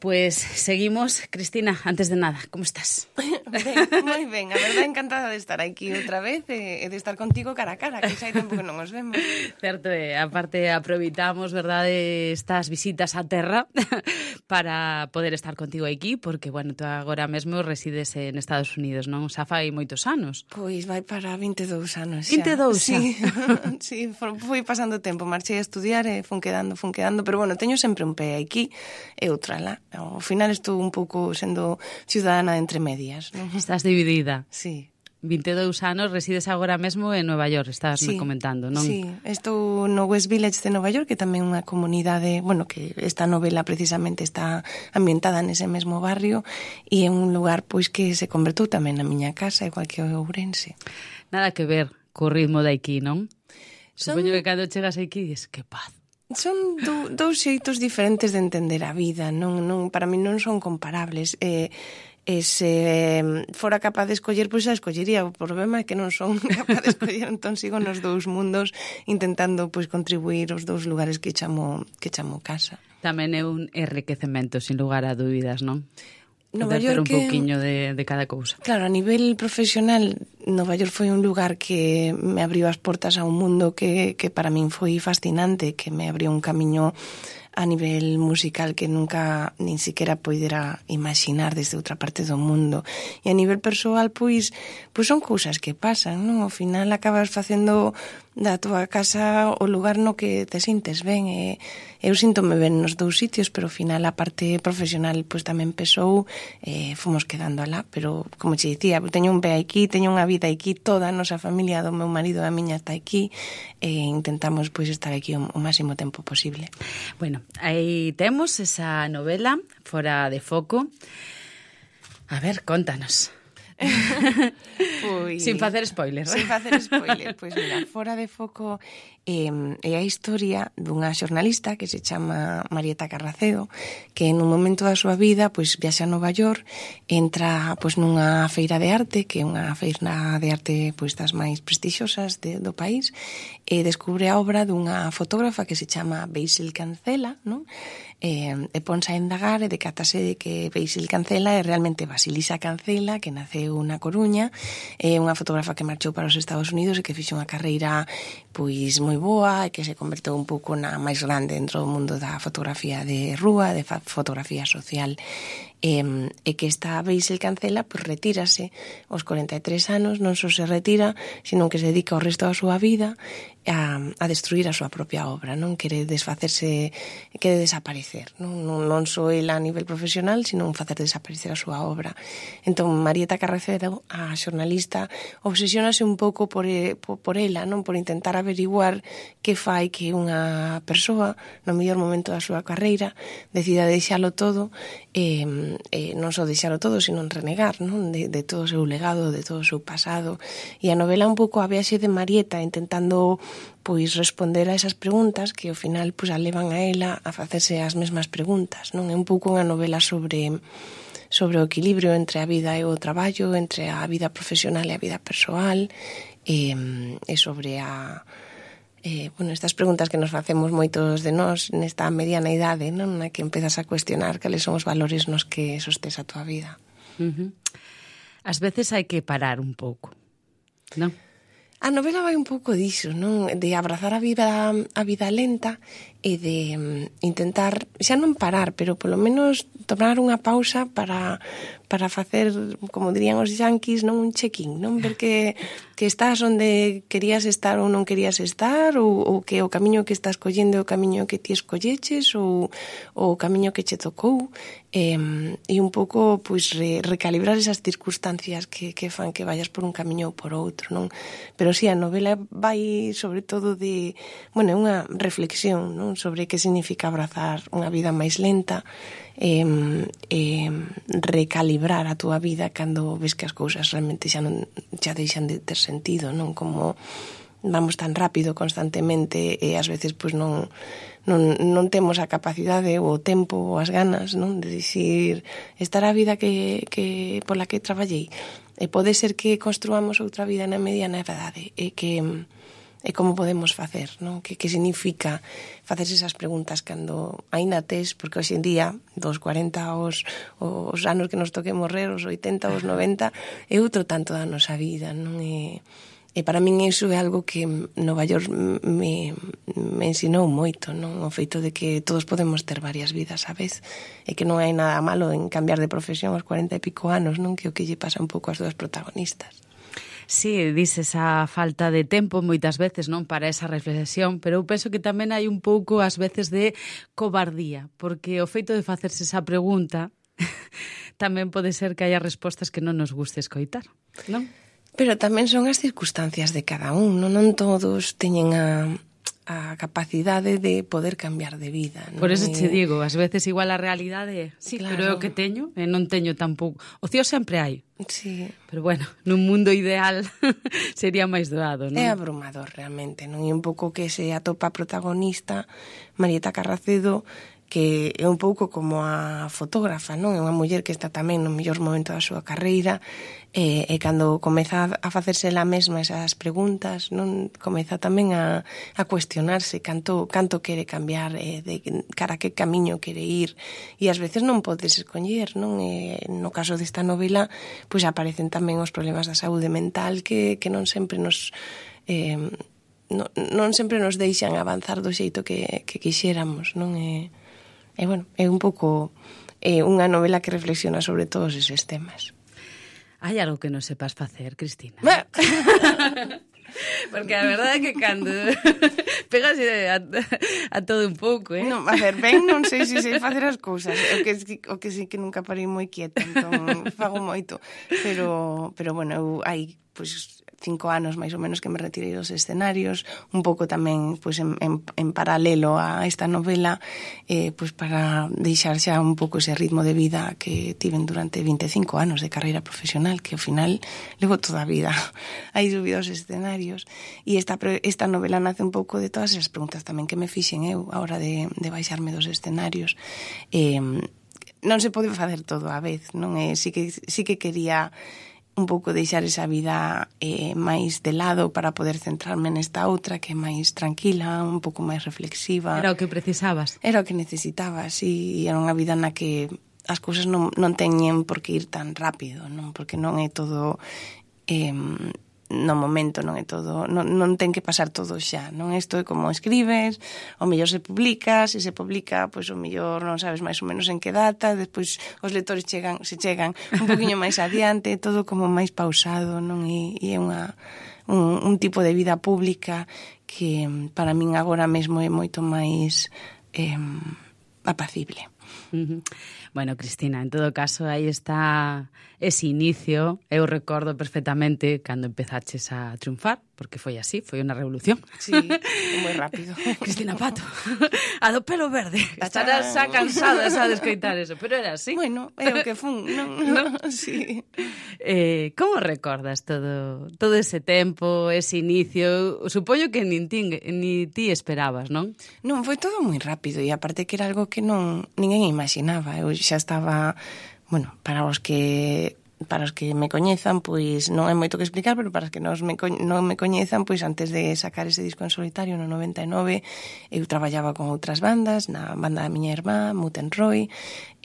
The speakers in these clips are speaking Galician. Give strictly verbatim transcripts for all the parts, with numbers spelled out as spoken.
pues seguimos. Cristina, antes de nada, como estás? Ben, moi ben, a verdade encantada de estar aquí outra vez e de estar contigo cara a cara, que xa hai tempo que non nos vemos. Certo, e aparte aproveitamos, verdade, estas visitas á terra para poder estar contigo aquí, porque, bueno, tú agora mesmo resides en Estados Unidos, non? Xa fai moitos anos. Pois vai para vinte e dous anos xa. vinte e dous xa? Sí, sí, fui pasando tempo, marchei a estudiar e fun quedando, fun quedando, pero bueno, teño sempre un pé aquí e outra lá. Ao final estou un pouco sendo ciudadana entre medias, non? Estás dividida. Sí. vinte e dous anos, resides agora mesmo en Nova York, estás sí, me comentando, non? Sí, estou no West Village de Nova York, que tamén é unha comunidade, bueno, que esta novela precisamente está ambientada nese mesmo barrio e é un lugar pois que se convertou tamén na miña casa, igual que o Ourense. Nada que ver co ritmo de aquí, non? Son... Supoño que cando chegas aquí dices, que paz. Son do, dous xeitos diferentes de entender a vida, non, non, para mí non son comparables. Eh, e se fora capaz de escoller, pois a escollería. O problema é que non son capaz de escoller, entón sigo nos dous mundos intentando pois contribuir os dous lugares que chamo, que chamo casa. Tamén é un enriquecemento, sin lugar a dúbidas, non? Nova York, un pouquiño de, de cada cousa. Claro, a nivel profesional, Nova York foi un lugar que me abriu as portas a un mundo que, que para min foi fascinante, que me abriu un camiño a nivel musical que nunca nin siquiera poidera imaginar desde outra parte do mundo. E a nivel persoal, pois, pois son cousas que pasan, non? Ao final acabas facendo da túa casa o lugar no que te sintes ben. E eu síntome ben nos dous sitios, pero ao final a parte profesional pois tamén pesou, e fomos quedando alá. Pero, como che dicía, teño un pé aquí, teño unha vida aquí, toda a nosa familia do meu marido e a miña está aquí, e intentamos pois estar aquí o, o máximo tempo posible. Bueno, aí temos esa novela, Fora de foco. A ver, contanos. Pois, sin facer spoiler. Sin facer spoiler. Pois mira, Fora de foco eh, é a historia dunha xornalista que se chama Marieta Carracedo, que nun momento da súa vida pois viaxa a Nova York, entra pois nunha feira de arte, que é unha feira de arte pois das máis prestixiosas de, do país, e descubre a obra dunha fotógrafa que se chama Basil Cancela, non? E, e ponse a indagar e decátase de que Basil Cancela é realmente Basilisa Cancela, que naceu na Coruña, é unha fotógrafa que marchou para os Estados Unidos e que fixo unha carreira pois moi boa e que se converteu un pouco na máis grande dentro do mundo da fotografía de rúa, de fotografía social. E, e que esta Basil Cancela pois retírase aos corenta e tres anos, non só se retira, sino que se dedica o resto da súa vida a, a destruir a súa propia obra, non quere desfacerse, quere desaparecer, non, non, non só ela a nivel profesional, sino facer desaparecer a súa obra. Entón, Marieta Carracedo, a xornalista, obsesionase un pouco por, por, por ela, non, por intentar averiguar que fai que unha persoa, no mellor momento da súa carreira, decida deixalo todo, e, e non só deixalo todo, sino renegar, non, de, de todo o seu legado, de todo o seu pasado. E a novela un pouco a viaxe de Marieta intentando pois responder a esas preguntas que ao final pois a levan a ela a facerse as mesmas preguntas, non? É un pouco unha novela sobre sobre o equilibrio entre a vida e o traballo, entre a vida profesional e a vida persoal, e, e sobre a Eh, bueno, estas preguntas que nos facemos moitos de nós nesta mediana idade, non? Na que empezas a cuestionar cales son os valores nos que sostes a tua vida. Uh-huh. Ás veces hai que parar un pouco, non? A novela vai un pouco diso, non? De abrazar a vida a vida lenta e de um, intentar, xa non parar, pero polo menos tomar unha pausa para para facer, como dirían os yanquis, non, un check-in, non? Ver que, que estás onde querías estar ou non querías estar, ou, ou que o camiño que estás collendo é o camiño que ti escolleches, ou, ou o camiño que che tocou, e, e un pouco pois, re, recalibrar esas circunstancias que, que fan que vayas por un camiño ou por outro, non? Pero si, sí, a novela vai sobre todo de, bueno, é unha reflexión, non? Sobre que significa abrazar unha vida máis lenta, e, e recalibrar a túa vida cando ves que as cousas realmente xa non xa deixan de ter sentido, non? Como vamos tan rápido constantemente e ás veces pois non non non temos a capacidade ou o tempo ou as ganas, non, de dicir estar a vida que que pola que traballei. E pode ser que construamos outra vida na mediana idade e que e como podemos facer, non? Que, que significa facerse esas preguntas cando aínda tes, porque hoxe en día, dos corenta aos, os anos que nos toque morrer, os oitenta, os noventa, é outro tanto da nosa vida, non? E, e para min iso é algo que Nova York me, me ensinou moito, non? O feito de que todos podemos ter varias vidas a vez, e que non hai nada malo en cambiar de profesión aos cuarenta e pico anos, non? Que o que lle pasa un pouco ás dúas protagonistas. Sí, dices esa falta de tempo moitas veces, non, para esa reflexión, pero eu penso que tamén hai un pouco ás veces de cobardía, porque o feito de facerse esa pregunta tamén pode ser que haya respostas que non nos guste escoitar, non? Pero tamén son as circunstancias de cada un, non, non todos teñen a, a capacidade de poder cambiar de vida, non? Por eso che digo, ás veces igual a realidade, sí, claro, pero é o que teño, e non teño tampouco. Ocio sempre hai. Sí. Pero bueno, nun mundo ideal sería máis doado, non? É abrumador realmente, non? E un pouco que se atopa a protagonista, Marieta Carracedo, que é un pouco como a fotógrafa, non? É unha muller que está tamén no mellor momento da súa carreira, e, e cando comeza a facerse ela mesma esas preguntas, non? Comeza tamén a, a cuestionarse canto, canto quere cambiar, eh, de cara a que camiño quere ir, e ás veces non podes escoller, non? E, no caso desta novela, pois aparecen tamén os problemas da saúde mental que, que non sempre nos... Eh, non, non sempre nos deixan avanzar do xeito que, que quixéramos, non? E, E, bueno, é un pouco é unha novela que reflexiona sobre todos eses temas. Hai algo que non sepas facer, Cristina? Porque a verdade é que cando pegas a, a todo un pouco, eh? Non, a ver, ben, non sei se sei facer as cousas. O que, o que sí que nunca parei moi quieta, entón fago moito. Pero, pero bueno, eu hai, pois, cinco anos máis ou menos que me retirei dos escenarios, un pouco tamén pois, en, en, en paralelo a esta novela, eh, pois para deixar xa un pouco ese ritmo de vida que tiven durante vinte e cinco anos de carreira profesional, que ao final levo toda a vida aí subido aos escenarios. E esta, esta novela nace un pouco de todas esas preguntas tamén que me fixen eu a hora de, de baixarme dos escenarios. Eh, non se pode facer todo á vez, non? Eh, sí que, sí que quería un pouco deixar esa vida eh, máis de lado para poder centrarme nesta outra que é máis tranquila, un pouco máis reflexiva. Era o que precisabas. Era o que necesitaba, sí, e era unha vida na que as cousas non, non teñen por que ir tan rápido, non? Porque non é todo... Eh, no momento, non é todo, non, non ten que pasar todo xa, non? Isto é como escribes, o mellor se publica, se se publica, pois o mellor non sabes máis ou menos en que data, despois os lectores chegan, se chegan un poquinho máis adiante, todo como máis pausado, non? E, e é unha, un, un tipo de vida pública que para min agora mesmo é moito máis eh, apacible. Uh-huh. Bueno, Cristina, en todo caso, aí está ese inicio. Eu recordo perfectamente cando empezaches a triunfar, porque foi así, foi unha revolución. Sí, moi rápido. Cristina Pato, a do pelo verde. Estarás xa cansada xa de escoitar eso, pero era así. Bueno, é o que fun, non? ¿No? Sí. Eh, como recordas todo todo ese tempo, ese inicio? Supoño que nin ti, ni ti esperabas, non? Non, foi todo moi rápido e aparte que era algo que non ninguén imaginaba. Eu xa estaba, bueno, para os que para os que me coñezan, pois non hai moito que explicar, pero para os que non me, co- non me coñezan, pois antes de sacar ese disco en solitario no noventa e nove, eu traballaba con outras bandas, na banda da miña irmá, Muten Roy,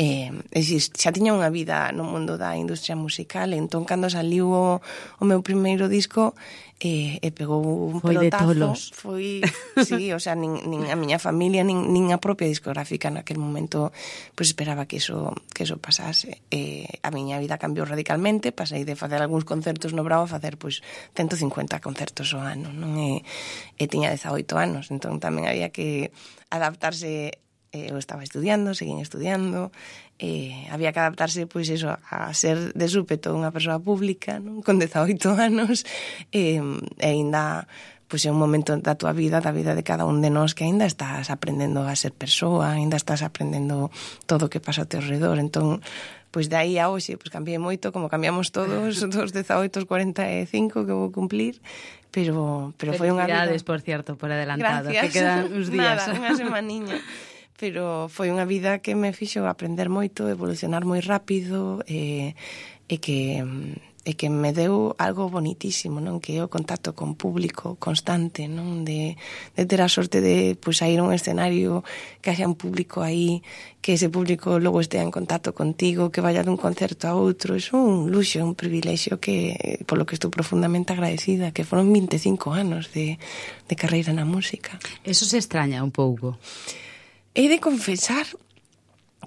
e, e xa tiña unha vida no mundo da industria musical, entón cando saliu o, o meu primeiro disco, e, e pegou un foi pelotazo. De tolos. Foi, sí, o sea, nin, nin a miña familia, nin, nin a propia discográfica naquel momento, pois esperaba que eso, que eso pasase. E a miña vida cambiou radicalmente, pasei de facer algúns concertos no Bravo a facer, pois, ciento cincuenta concertos ao ano, non? E, e tiña dezaoito anos, entón tamén había que adaptarse. Eu estaba estudiando, seguín estudiando, eh, había que adaptarse, pois, eso, a ser de súpeto unha persoa pública, non? Con dezaoito anos, e, e ainda, pois, é un momento da tua vida, da vida de cada un de nós, que ainda estás aprendendo a ser persoa, ainda estás aprendendo todo o que pasa ao teu redor, entón, pois, de aí a hoxe, pois, cambiei moito, como cambiamos todos, dos dezaoito aos cuarenta e cinco que vou cumplir, pero, pero foi unha vida... Felicidades, por cierto, por adelantado, Gracias. que quedan uns días. Nada, unha semaniña. Pero foi unha vida que me fixo aprender moito, evolucionar moi rápido, e, e que e que me deu algo bonitísimo, non? Que é o contacto con público constante, non? De, de ter a sorte de pois, ir a un escenario, que haxa un público aí, que ese público logo estea en contacto contigo, que vaya dun concerto a outro. É un luxo, un privilexio que, polo que estou profundamente agradecida, que foron vinte e cinco anos de, de carreira na música. Eso se extraña un pouco. He de confesar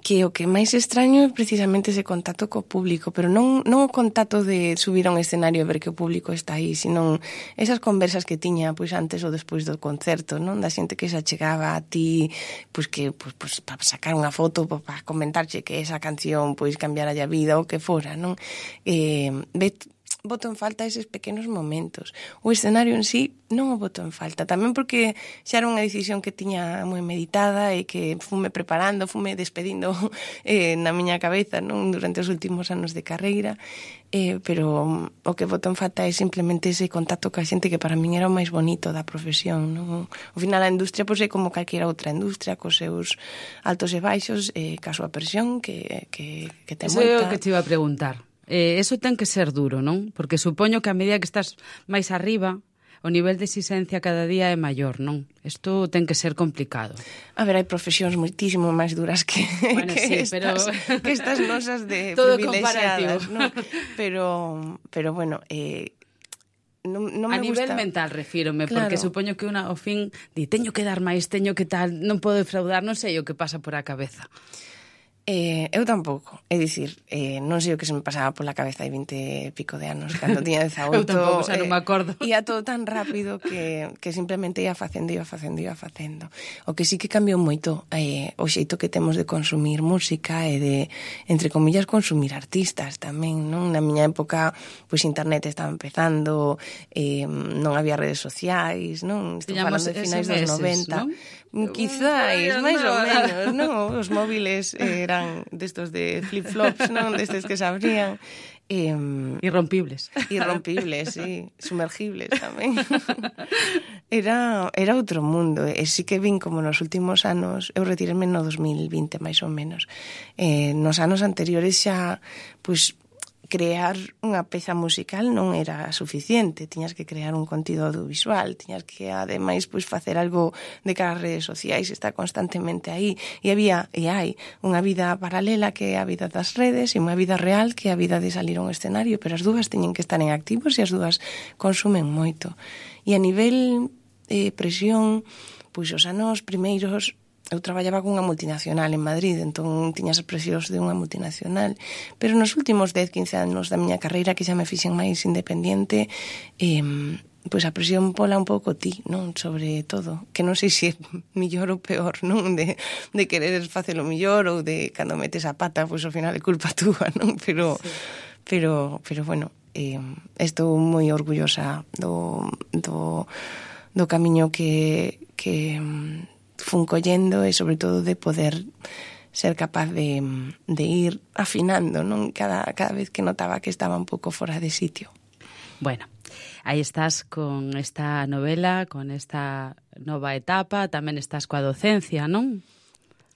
que o que máis extraño é precisamente ese contacto co público, pero non, non o contacto de subir a un escenario e ver que o público está aí, sino esas conversas que tiña pois antes ou despois do concerto, non? Da xente que se achegaba a ti, pois que pois, pois para sacar unha foto, pois, para comentarche que esa canción pois cambiara a vida ou que fora, non? Eh, vet boto en falta eses pequenos momentos. O escenario en sí non o boto en falta, tamén porque xa era unha decisión que tiña moi meditada e que fume preparando, fume despedindo eh, na miña cabeza, non, durante os últimos anos de carreira, eh, pero o que boto en falta é simplemente ese contacto ca xente que para min era o máis bonito da profesión, non? Ao final a industria pois é como calquera outra industria, cos seus altos e baixos, eh, ca súa presión que, que, que ten moita. Eso é o que te iba a preguntar. Eh, eso ten que ser duro, non? Porque supoño que a medida que estás máis arriba, o nivel de exigencia cada día é maior, non? Isto ten que ser complicado. A ver, hai profesións moitísimo máis duras que, bueno, que, sí, estas, pero... que estas nosas de todo privilexiadas, non? Pero, pero bueno... Eh, Non, non me a nivel gusta. Mental refírome, claro. Porque supoño que unha ao fin di, teño que dar máis, teño que tal, non podo defraudar, non sei o que pasa por a cabeza. Eh, eu tampouco, é dicir, eh, non sei o que se me pasaba pola cabeza hai vinte e pico de anos, cando tiña dezaoito. Eu tampouco, xa non me acordo. Eh, ia todo tan rápido que, que simplemente ia facendo, ia facendo, ia facendo. O que sí que cambiou moito eh, o xeito que temos de consumir música e de, entre comillas, consumir artistas tamén, non? Na miña época, pois internet estaba empezando, eh, non había redes sociais, non? Estou falando de finais dos noventa. ¿no? Quizáis, máis ou menos, non? Os móviles eran destos de flip-flops, non? Destes que se abrían. Eh, irrompibles. Irrompibles, sí. Sumergibles tamén. Era, era outro mundo. E sí que vin como nos últimos anos, eu retireme no dos mil vinte, máis ou menos. Eh, nos anos anteriores xa, pois, crear unha peza musical non era suficiente, tiñas que crear un contido audiovisual, tiñas que ademais pois facer algo de cara ás redes sociais, está constantemente aí, e había e hai unha vida paralela que é a vida das redes e unha vida real que é a vida de salir a un escenario, pero as dúas teñen que estar en activos e as dúas consumen moito. E a nivel eh, presión, pois os anos primeiros eu traballaba cunha multinacional en Madrid, entón tiñas as presións de unha multinacional, pero nos últimos dez, quince anos da miña carreira que xa me fixen máis independiente, eh, pois a presión pola un pouco ti, non? Sobre todo, que non sei se é millor ou peor, non? De, de querer facelo millor ou de cando metes a pata, pois ao final é culpa túa, non? Pero, sí. pero, pero bueno, eh, estou moi orgullosa do, do, do camiño que... que fun collendo e sobre todo de poder ser capaz de, de ir afinando, non? Cada, cada vez que notaba que estaba un pouco fora de sitio. Bueno, aí estás con esta novela, con esta nova etapa, tamén estás coa docencia, non?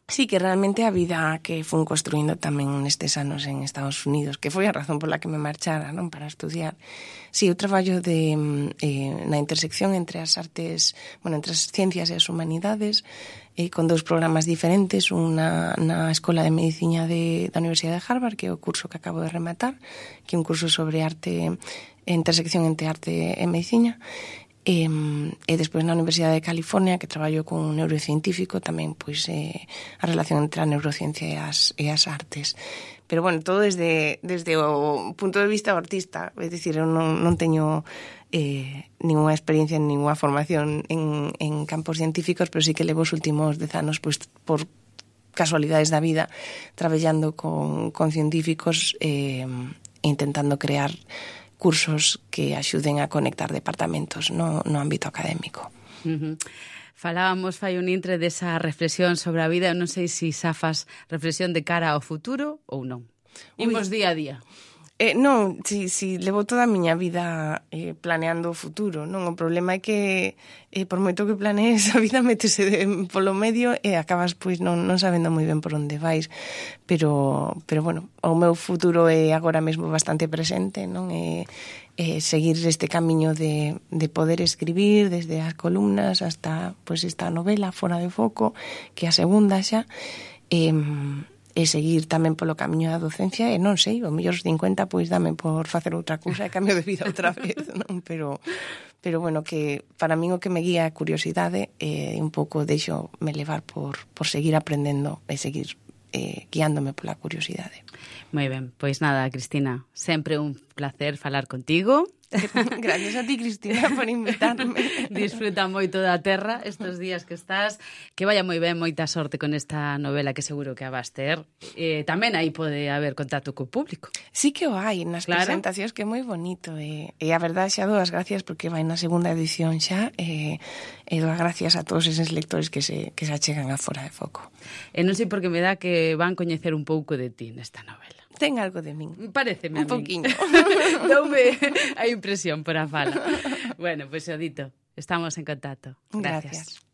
Sí, que realmente a vida que fun construindo tamén nestes anos en Estados Unidos, que foi a razón pola que me marchara, non, para estudiar. Sí, eu traballo de, eh, na intersección entre as artes, bueno, entre as ciencias e as humanidades, eh, con dous programas diferentes, unha na Escola de Medicina de, da Universidade de Harvard, que é o curso que acabo de rematar, que é un curso sobre arte, intersección entre arte e medicina, E, e despois na Universidade de California, que traballo con un neurocientífico, tamén pois eh, a relación entre a neurociencia e as, e as artes. Pero bueno, todo desde, desde o punto de vista do artista, é dicir, eu non, non teño eh, ninguna experiencia, ninguna formación en, en campos científicos, pero sí que levo os últimos dez anos pois, por casualidades da vida traballando con, con científicos eh, intentando crear cursos que axuden a conectar departamentos no, no ámbito académico. Uh-huh. Falábamos fai un intre desa reflexión sobre a vida. Eu non sei se xa fas reflexión de cara ao futuro ou non. Imos día a día. Eh, non, si, si levo toda a miña vida eh, planeando o futuro, non? O problema é que eh, por moito que planees a vida métese de, polo medio e acabas pois non, non sabendo moi ben por onde vais, pero, pero bueno, o meu futuro é agora mesmo bastante presente, non? E, e seguir este camiño de, de poder escribir desde as columnas hasta pois esta novela Fora de foco, que é a segunda xa, e e seguir tamén polo camiño da docencia, e non sei, o mellor cincuenta pois dame por facer outra cousa e cambio de vida outra vez, non? Pero, pero bueno, que para min o que me guía a curiosidade e un pouco deixo me levar por, por seguir aprendendo e seguir eh, guiándome pola curiosidade. Moi ben, pois nada, Cristina, sempre un placer falar contigo. Gracias a ti, Cristina, por invitarme. Disfruta moito da terra estes días que estás. Que vaya moi ben, moita sorte con esta novela que seguro que a vas ter. Eh, tamén aí pode haber contacto co público. Sí que o hai nas claro. presentacións, que é moi bonito. E, e a verdade xa dou as gracias porque vai na segunda edición xa. E, e dou as gracias a todos eses lectores que se, que se achegan a Fora de foco. E non sei por que me dá que van coñecer un pouco de ti nesta novela. Ten algo de min. Pareceme a un min. poquinho. Doume a impresión por a fala. Bueno, pois pues, o dito, estamos en contacto. Gracias. Gracias.